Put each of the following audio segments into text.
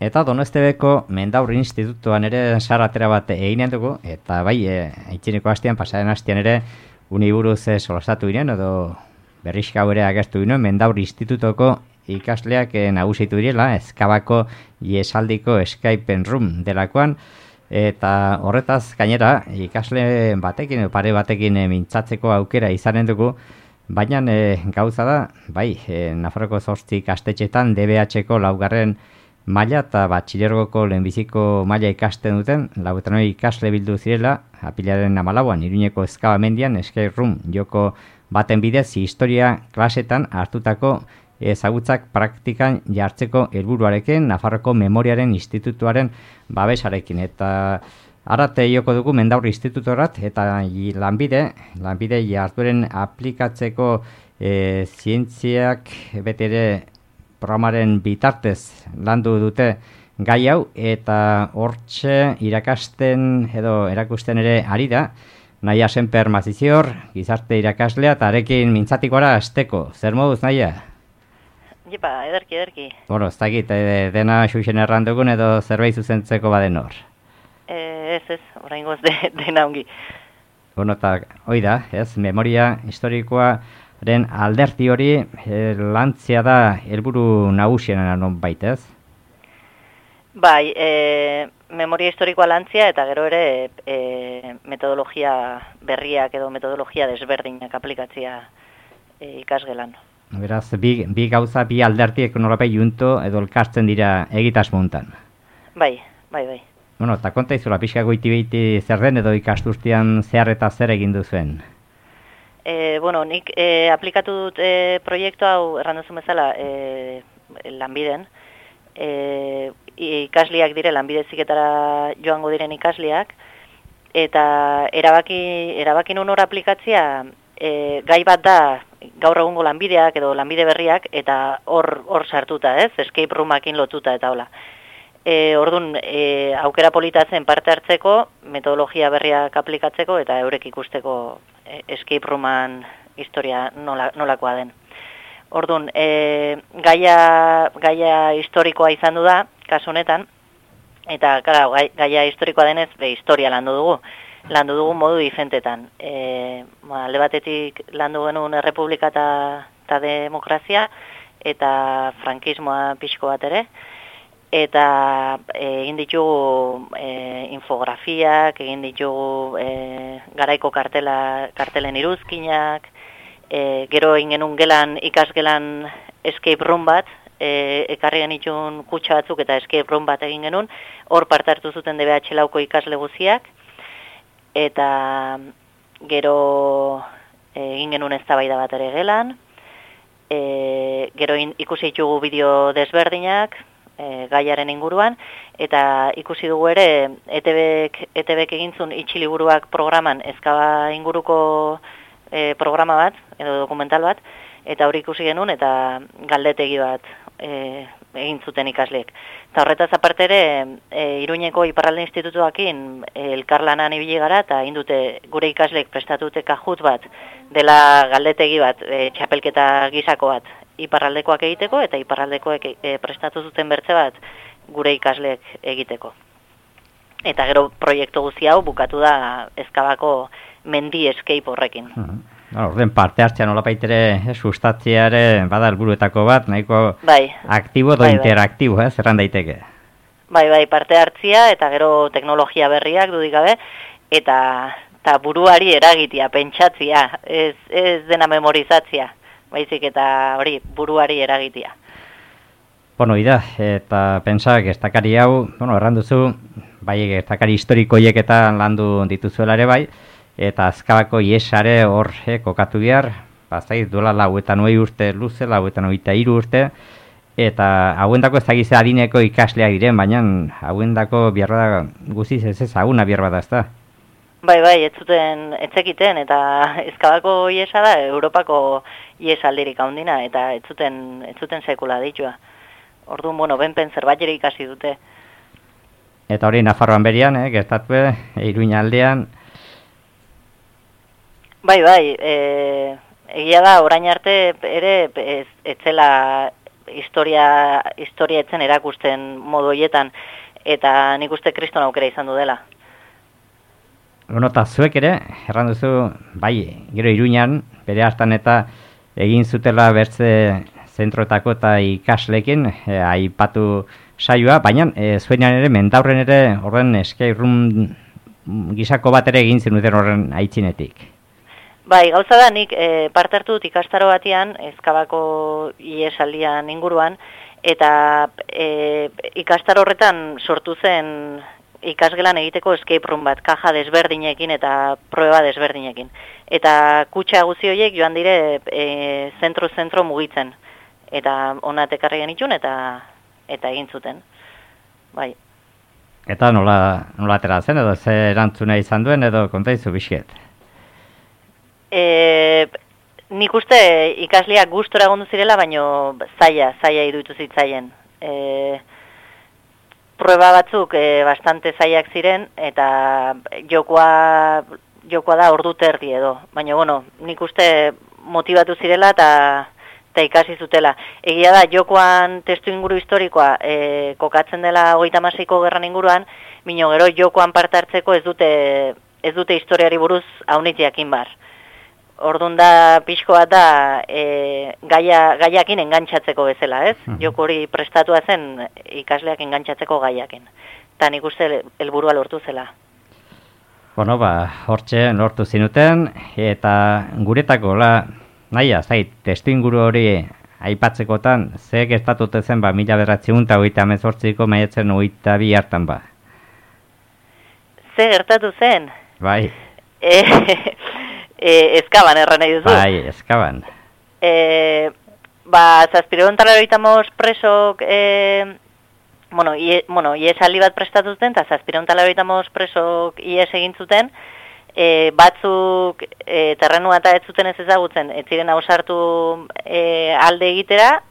Eta Donostebeko Mendaur Institutuan ere saratera bat eginen dugu, eta bai, aitzineko hastean, pasaren hastean ere, uniburuz solastatu ginen, edo berrizka ere agertu ginen, Mendaur Institutoko ikasleak nagusitu direla, Ezkabako iesaldiko Escape Room delakoan, eta horretaz gainera ikasle batekin, pare batekin mintzatzeko aukera izanen dugu, baina gauza da, bai, Nafarroko 8 ikastetxetan DBH-ko laugarren maila eta batxilergoko lehenbiziko maila ikasten duten, 49 ikasle bildu zirela, apilaren 14an Iruñeko Ezkaba mendian Escape Room joko baten bidez historia klasetan hartutako ezagutzak praktikan jartzeko helburuarekin Nafarroko Memoriaren Institutuaren babesarekin. Eta arate joko dugu Mendaur Institutorat eta lanbide jardueren aplikatzeko zientziak betere programaren bitartez landu dute gai hau, eta hortxe irakasten edo erakusten ere ari da, Naia Senper Mazizior, gizarte irakaslea, eta arekin mintzatikora azteko. Zer moduz, Naia? Jepa, ederki. Bueno, ez dakit, dena xuxen errandugun edo zerbait zuzentzeko baden hor. Ez, oraingoz dena ongi. Bueno, eta hoi da, ez, memoria historikoaren alderti hori lantzia da helburu nagusiena non baita, ez? Bai, memoria historikoa lantzia eta gero ere metodologia berriak edo metodologia desberdinak aplikatzia ikasgelan. Beraz, bi gauza, bi aldertiek nolapai junto edo elkartzen dira egitasmontan. Bai. Bueno, eta konta izula, pixka goiti zer den edo ikasturtean zehar eta zer egin duzuen? Bueno, nik aplikatu dut proiektu hau erranduzun bezala lanbiden. Ikasleak dire, lanbide heziketara joango diren ikasleak, eta erabaki nun hor aplikatzia gai bat da gaur egungo lanbideak edo lanbide berriak, eta hor sartuta, ez? Escape roomakin lotuta eta hola. Orduan, aukera polita zen parte hartzeko, metodologia berriak aplikatzeko eta eurek ikusteko escape rooman historia nolakoa den. Orduan, gaia historikoa izan du da, kasu honetan, eta gaia historikoa denez, historia landu dugu. Landu dugu modu diferentetan. Alde batetik landu genuen errepublika eta demokrazia, eta frankismoa pixko bat ere, eta egin ditugu infografiak, egin ditugu garaiko kartelen iruzkinak, gero egin genuen ikasgelan escape room bat, ekarri genitun kutsa batzuk eta escape room bat egin genuen, hor parte hartu zuten DBH lauko ikasle guziak, eta gero egin genuen eztabaida bat ere gelan, gero ikusi ditugu bideo desberdinak, gaiaren inguruan, eta ikusi dugu ere ETBek egintzun itxiliburuak programan Ezkaba inguruko programa bat, edo dokumental bat, eta hori ikusi genuen, eta galdetegi bat egin zuten ikasleek. Eta horretaz aparte ere, Iruñeko Iparralde Institutuakin elkarlanan ibili gara, eta egin dute gure ikasleek prestatute kajut bat, dela galdetegi bat, txapelketa gizako bat, iparraldekoak egiteko, eta iparraldekoek prestatu zuten bertze bat gure ikasleek egiteko. Eta gero proiektu guzti hau bukatu da Ezkabako mendi escape horrekin. Orden parte hartzea nolapaitere sustatzea ere bada helburuetako bat, nahiko aktibo edo interaktibo, zerran daiteke. Bai, parte hartzea eta gero teknologia berriak dudik gabe, eta buruari eragitea, pentsatzea, ez dena memorizatzea, baizik eta hori buruari eragitea. Bueno, ida, eta pentsa gertakari hau, erranduzu, bai gertakari historikoiek eta landu dituzuela ere bai, eta Ezkabako iesare hor kokatu behar, bazait duela 29 urte luze, 23 urte, eta hauendako ezagize adineko ikasleak diren, baina hauendako biarra guziz ez ezaguna biarra da, ez da? Bai, ez zekiten, eta Ezkabako iesa da Europako iesaldirik handina, eta ez zuten sekula ditua. Orduan, benpen zerbait ere ikasi dute. Eta hori Nafarroan berian, gertatu, Iruña aldean. Bai, egia da, orain arte ere ez zela historia etzen erakusten modu hoietan, eta nik uste kriston aukera izan du dela. Bueno, eta zuek ere, erran duzu, bai, gero Iruñan, bere hartan eta egin zutela bertze zentroetako eta ikaslekin, aipatu saioa, baina zuenean ere, Mendaurren ere, horren escape room gisako bat ere egin zenuten horren aitzinetik. Bai, gauza da, nik parte hartu dut ikastaro batean, Ezkabako iesaldian inguruan, eta ikastaro horretan sortu zen ikasgelan egiteko escape room bat, kaja desberdinekin eta prueba desberdinekin. Eta kutxa guzti horiek joan dire zentro mugitzen. Eta ona tekarri genitun eta egin zuten. Bai. Eta nola atera zen, edo ze erantzuna izan duen, edo konta izu bizket? Nik uste ikasleak gustora egondu zirela, baino zaila iruditu zitzaien. Prueba batzuk bastante zailak ziren, eta jokoa da ordu terdi edo. Baina, bueno, nik uste motivatu zirela eta ikasi zutela. Egia da, jokoan testu inguru historikoa kokatzen dela 36ko gerran inguruan, bino gero jokoan parte hartzeko ez dute historiari buruz haunitz jakin bar. Orduan da pixko bat da gaiakin engantzatzeko bezala, ez? Joko hori prestatua zen ikasleak engantzatzeko gaiakin. Eta nik uste helburua lortu zela. Bueno, hortxe lortu zinuten, eta guretako, nahia, testu inguru hori aipatzekotan, ze gertatute zen, 1938ko maiatzen 22 hartan ba? Ze gertatu zen? Bai. Ezkaban erran nahi duzu. Bai, Ezkaban. Zazpireuntalaro presok, iesaldi bat prestatu zuten, eta zazpireuntalaro presok ies egin zuten, batzuk terrenua eta ez zuten ez ezagutzen, ez ziren ausartu alde egitera,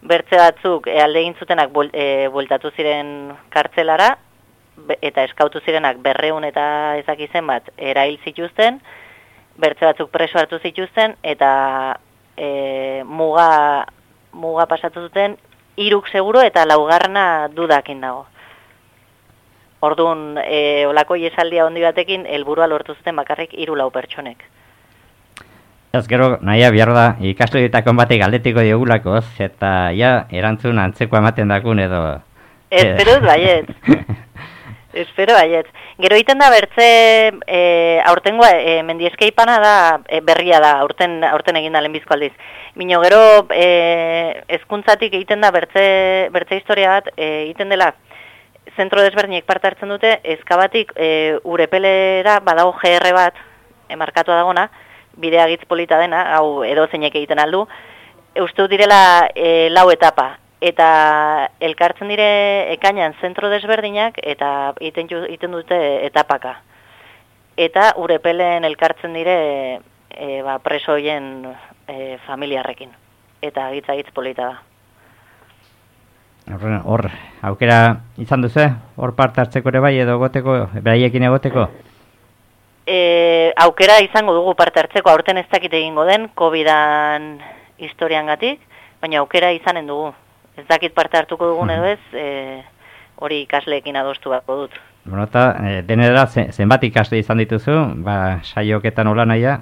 bertze batzuk alde egin zutenak bueltatu ziren kartzelara, eta eskautu zirenak 200 eta ezakizen bat erail zituzten, bertze batzuk preso hartu zituzten, eta muga pasatu zuten, 3 seguro eta 4 dudakin dago. Orduan, olako iesaldia handi batekin, helburua lortu zuten bakarrik 3-4 pertsonek. Ez gero, nahia behar da, ikasleetako batek galdetiko diogulako, eta erantzun antzeko ematen dakun edo... Espero baiet. Espero baiet. Gero egiten da bertze, aurtengoa, mendieskeipana da, berria da, aurten egin da lehenbizko aldiz. Bino gero, hezkuntzatik egiten da bertze historia bat, egiten dela, zentro desberdinek parte hartzen dute, Ezkabatik Urepelera badago GR bat, markatua dagona, bidea gitz polita dena, hau edo zeinek egiten aldu, uste direla 4 etapa. Eta elkartzen dire ekainan zentro desberdinak eta egiten dute etapaka. Eta Urepelen elkartzen dire presoien familiarrekin. Eta gitz polita da. Hor, aukera izan duzu, hor parte hartzeko ere bai edo goteko, beraiekin egoteko? Aukera izango dugu parte hartzeko, aurten ez dakit egingo den, COVID-an historiangatik, baina aukera izanen dugu. Ez dakit parte hartuko dugun edo ez, hori ikasleekin adostu bako dut. Bueno, eta denera zenbat ikasle izan dituzu, saioketan hola nahia?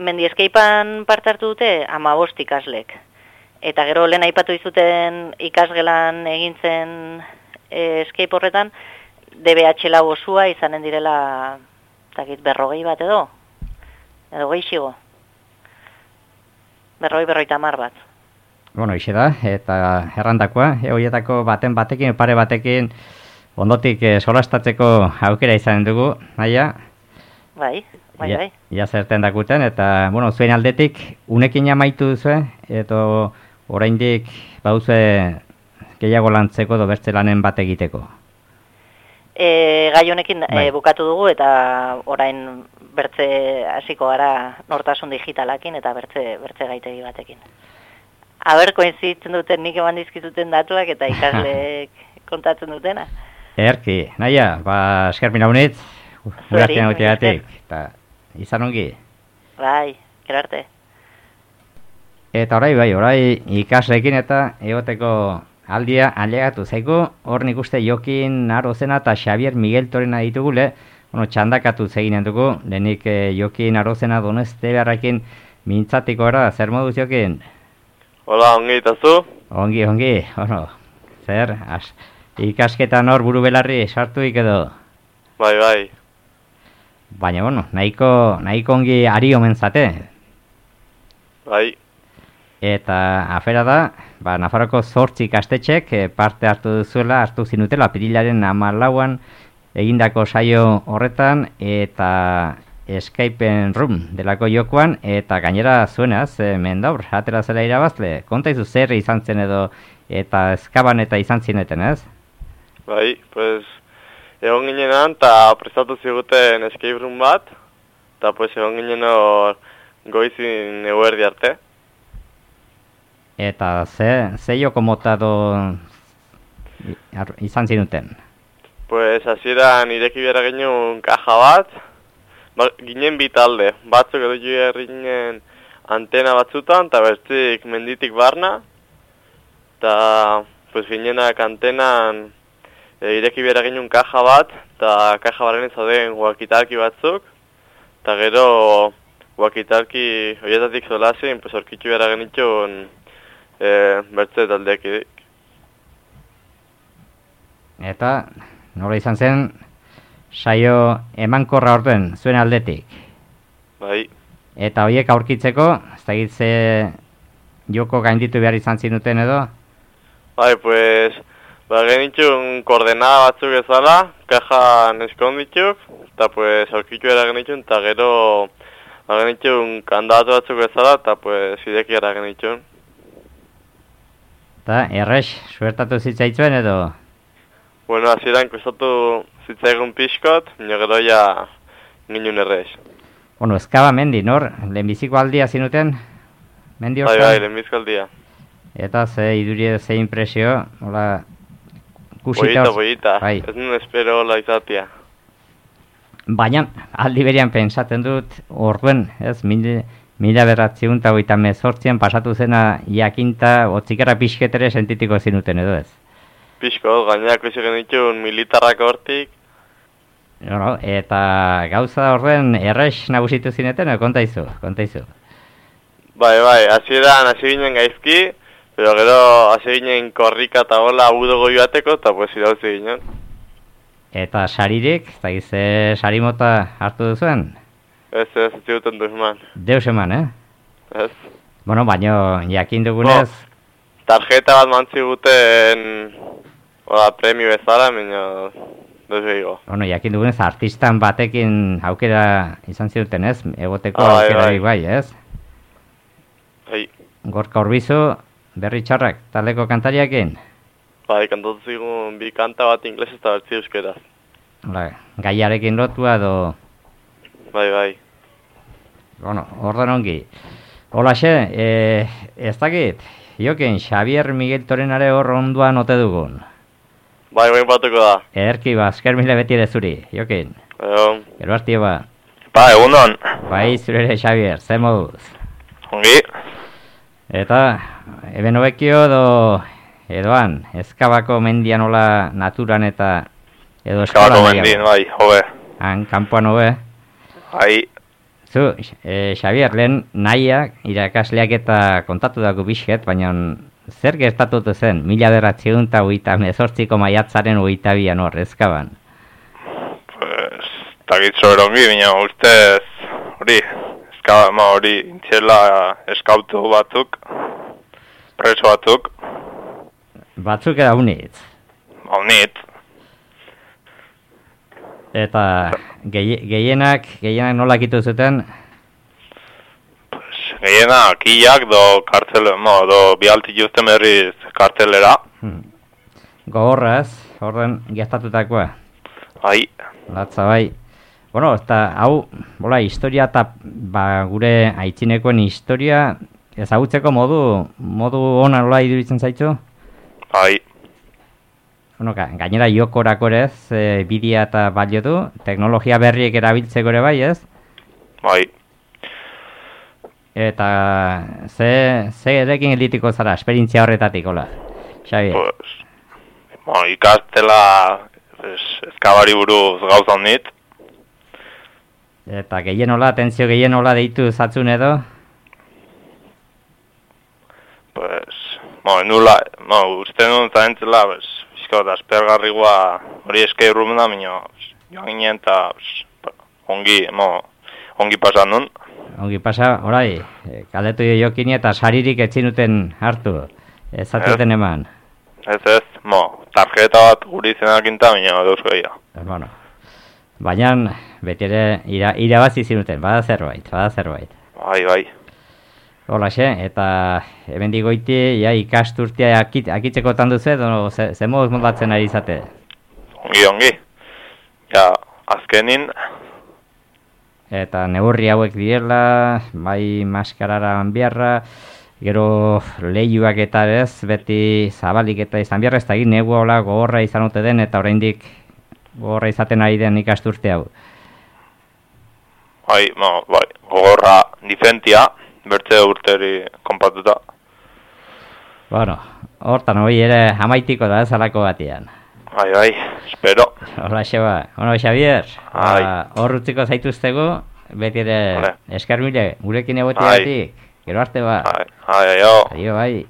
Mendieskeipan parte hartu dute 15 ikaslek. Eta gero lehen aipatu izuten ikasgelan egintzen escape horretan, DBH lau osua izanen direla, dakit, 40 bat edo gehiago. 40-50 bat. Bueno, ixe da, eta errandakoa, horietako batekin, pare batekin, ondotik solastatzeko aukera izanen dugu, naia? Bai. Ja zerten dakuten, eta, bueno, zuen aldetik, unekin amaitu duzu, eta oraindik bauzue gehiago lantzeko edo bertze lanen bat egiteko? Gai honekin bukatu dugu, eta orain bertze hasiko gara nortasun digitalakin eta bertze gaitegi batekin. Aber, koinzitzen duten nik eman dizkizuten datuak eta ikasleek kontatzen dutena. Erki, naia, eskerpina honetz, gurazten egoteatik, eta izan ongi. Bai, gero arte. Eta orai ikasleekin eta egoteko aldia ailegatu zaigu, hor nik uste Jokin Arozena eta Xabier Miguel Torena ditugule, txandakatu zeginen dugu, lehenik Jokin Arozena Doneste beharrekin mintzatiko era, zer moduz Jokin? Hola, ongi eta zu? Ongi, zer, ikasketan hor buru belarri sartuik edo? Bai. Baina, nahiko ongi ari omen zate. Bai. Eta afera da, Nafarroko 8 ikastetxek parte hartu zinutela, apirilaren 14an egindako saio horretan, eta Escape Room delako jokoan, eta gainera zuenaz, Mendaur, atera zela irabazle, kontaizu zer izan zen edo, eta eskaban eta izan zineten, ez? Bai, pues, egon ginenan, eta prestatu ziguten Escape Room bat, eta pues egon ginen hor goizin eguerdi arte. Eta ze joko mota izan zinuten? Pues, hasieran ireki behar genuen kaja bat, ginen bi talde, batzuk edo ginen antena batzutan, eta bestik menditik barna, eta pues ginenak antenan ireki behar genuen kaja bat, eta kaja barren zauden wakitalki batzuk, eta gero wakitalki horietatik zolazin, pues orkitzu behar genitxun bertze taldeak. Eta nola izan zen saio emankorra orden zuen aldetik? Bai. Eta horiek aurkitzeko, ez da gitze joko gainditu behar izan zinuten edo? Bai, pues, genitxun koordenada batzuk ezala, kajan eskonditzuk, eta pues aurkitzu behar genitxun, eta gero genitxun kandatu batzuk ezala, eta pues ideki behar genitxun. Eta errex, suertatu zitzaitzuen edo? Bueno, hasieran kostatu zitzaigun pixkot, nio gero ja ginen errex. Bueno, eskaba mendi, nor? Lehenbiziko aldia zinuten? Mendi hortan? Bai, lehenbiziko aldia. Eta ze iduri ze impresio, hola, kusita... Boita, bai. Ez nun espero hola izatea. Baina, aldi berian pensatzen dut, orduen, ez, 1918an pasatu zena jakinta, otzikara pixketere sentitiko zinuten edo ez? Pixko, gainak ikusi genitxun militarrak hortik. No, eta gauza orden errex nagusitu zineten, kontaizu. Bai, hasieran hasi ginen gaizki, pero gero hasi ginen korrika eta hola udogo joateko, eta pues irauzi ginen. Eta saririk, eta gize sarimota hartu duzuen? Ez ziguten duz eman. Deus eman, Ez. Bueno, baino, jakin dugunez... Tarjeta bat mantziguten premio bezala, baina duz behigo. Bueno, jakin dugunez, artistan batekin aukera izan ziruten, ez? Egoteko aukera bai, ez? Bai. Gorka Urbizu, berri txarrak, taleko kantariakin? Bai, kantatu zigun bi kanta bat inglés eta bertzi euskeraz. Gaiarekin lotua edo... Bai. Bueno, ordan ongi. Holaxe, ez dakit, Jokin, Xabier Miguel Torenare hor onduan ote dugun. Bai, batuko da. Ederki, esker mile beti ere zuri, Jokin. Gero hartio ba. Egunon. Bai, zure ere, Xabier, ze moduz? Ongi. Eta, eben hobekio edoan, Ezkabako mendian hola naturan eta edo eskolan. Ezkabako mendien, bai, hobe. Han, kanpoan hobe. Bai. Zu, Xabier, lehen nahiak, irakasleak eta kontatu dago bizket, baina zer gertatutu zen, 1918ko maiatzaren 22an hor, Ezkaban? Pues, takitzo erongi, baina ustez, Ezkaban hori intxela eskautu batzuk, preso batzuk. Batzuk eda unitz? Unitz. Eta gehienak nola kitu zuten? Pues, gehienak hilak do kartzele, do bialtik justen berriz kartzelera. Gogorraz, orden gertatutakoa. Bai. Latza bai. Bueno, eta hau, historia eta gure aitzinekoen historia ezagutzeko modu ona nola iduritzen zaitu? Bai. Bueno, gainera jokorako ere ez, bidea eta balio du, teknologia berriek erabiltzeko ere bai, ez? Bai. Eta ze erekin elitiko zara, esperientzia horretatik, hola, Xabi? Pues, ikastela ezkabari buruz gauza honit. Eta gehien hola, atentzio gehien hola deitu zatzun edo? Pues, uste nuen zaintzela, bizko da aspergarrigua hori escape room da, joan ginen eta ongi pasan nun. Ongi pasa, orai, kaldetu jokini eta saririk etzinuten hartu, ez zatuten eman. Ez, tarjeta bat guri izenakinta, dauz gehiago. Bueno, baina beti ere irabazi zinuten, bada zerbait. Bai. Holaxe, eta hemen digoiti, ikasturtia akitzeko tanduze, edo ze moduz moldatzen ari izate? Ongi. Ja, azkenin. Eta neurri hauek direla, bai maskarara biarra, gero lehiuak eta ez, beti zabalik eta izan biarra, ez da egin negu hola gogorra izan ote den, eta oraindik gogorra izaten ari den ikasturte hau. Bai, gogorra difentia, bertze urteri konpatuta. Bueno, hortan hori ere amaitiko da ez alako batean. Bai, espero. Hola, Xeba. Bueno, Xavier, hor utziko zaituztego, beti ere eskarmile, gurekin egotiatik, gero arte ba. Aio. Aio, bai.